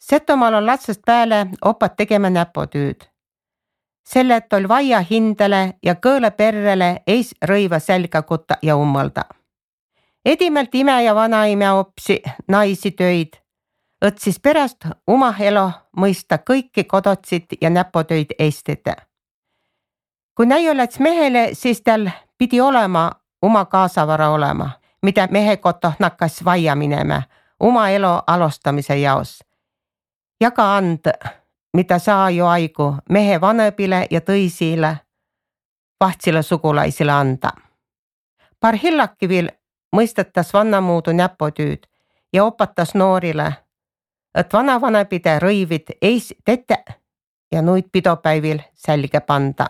Setomaal on latsest pääle opat tegema näpotüüd. Selle, et oli vaia hindele ja kõõle perrele eis rõiva selgakutta ja ummalda. Edimelt ime ja vanaime opsi naisi töid, et siis pärast oma elo mõista kõiki kodotsid ja näpotöid Eestite. Kui näi oleks mehele, siis tal pidi olema oma kaasavara olema, mida mehe koto nakkas vaia minema oma elo alustamise jaos. Ja ka and, mida saa ju aigu mehe vanepile ja tõisile vahtsile sugulaisile anda. Paar hillaki veel mõistetas vannamuudu näpotüüd ja opatas noorile, et vanavanepide rõivid eis tete ja nuid pidopäivil selge panda.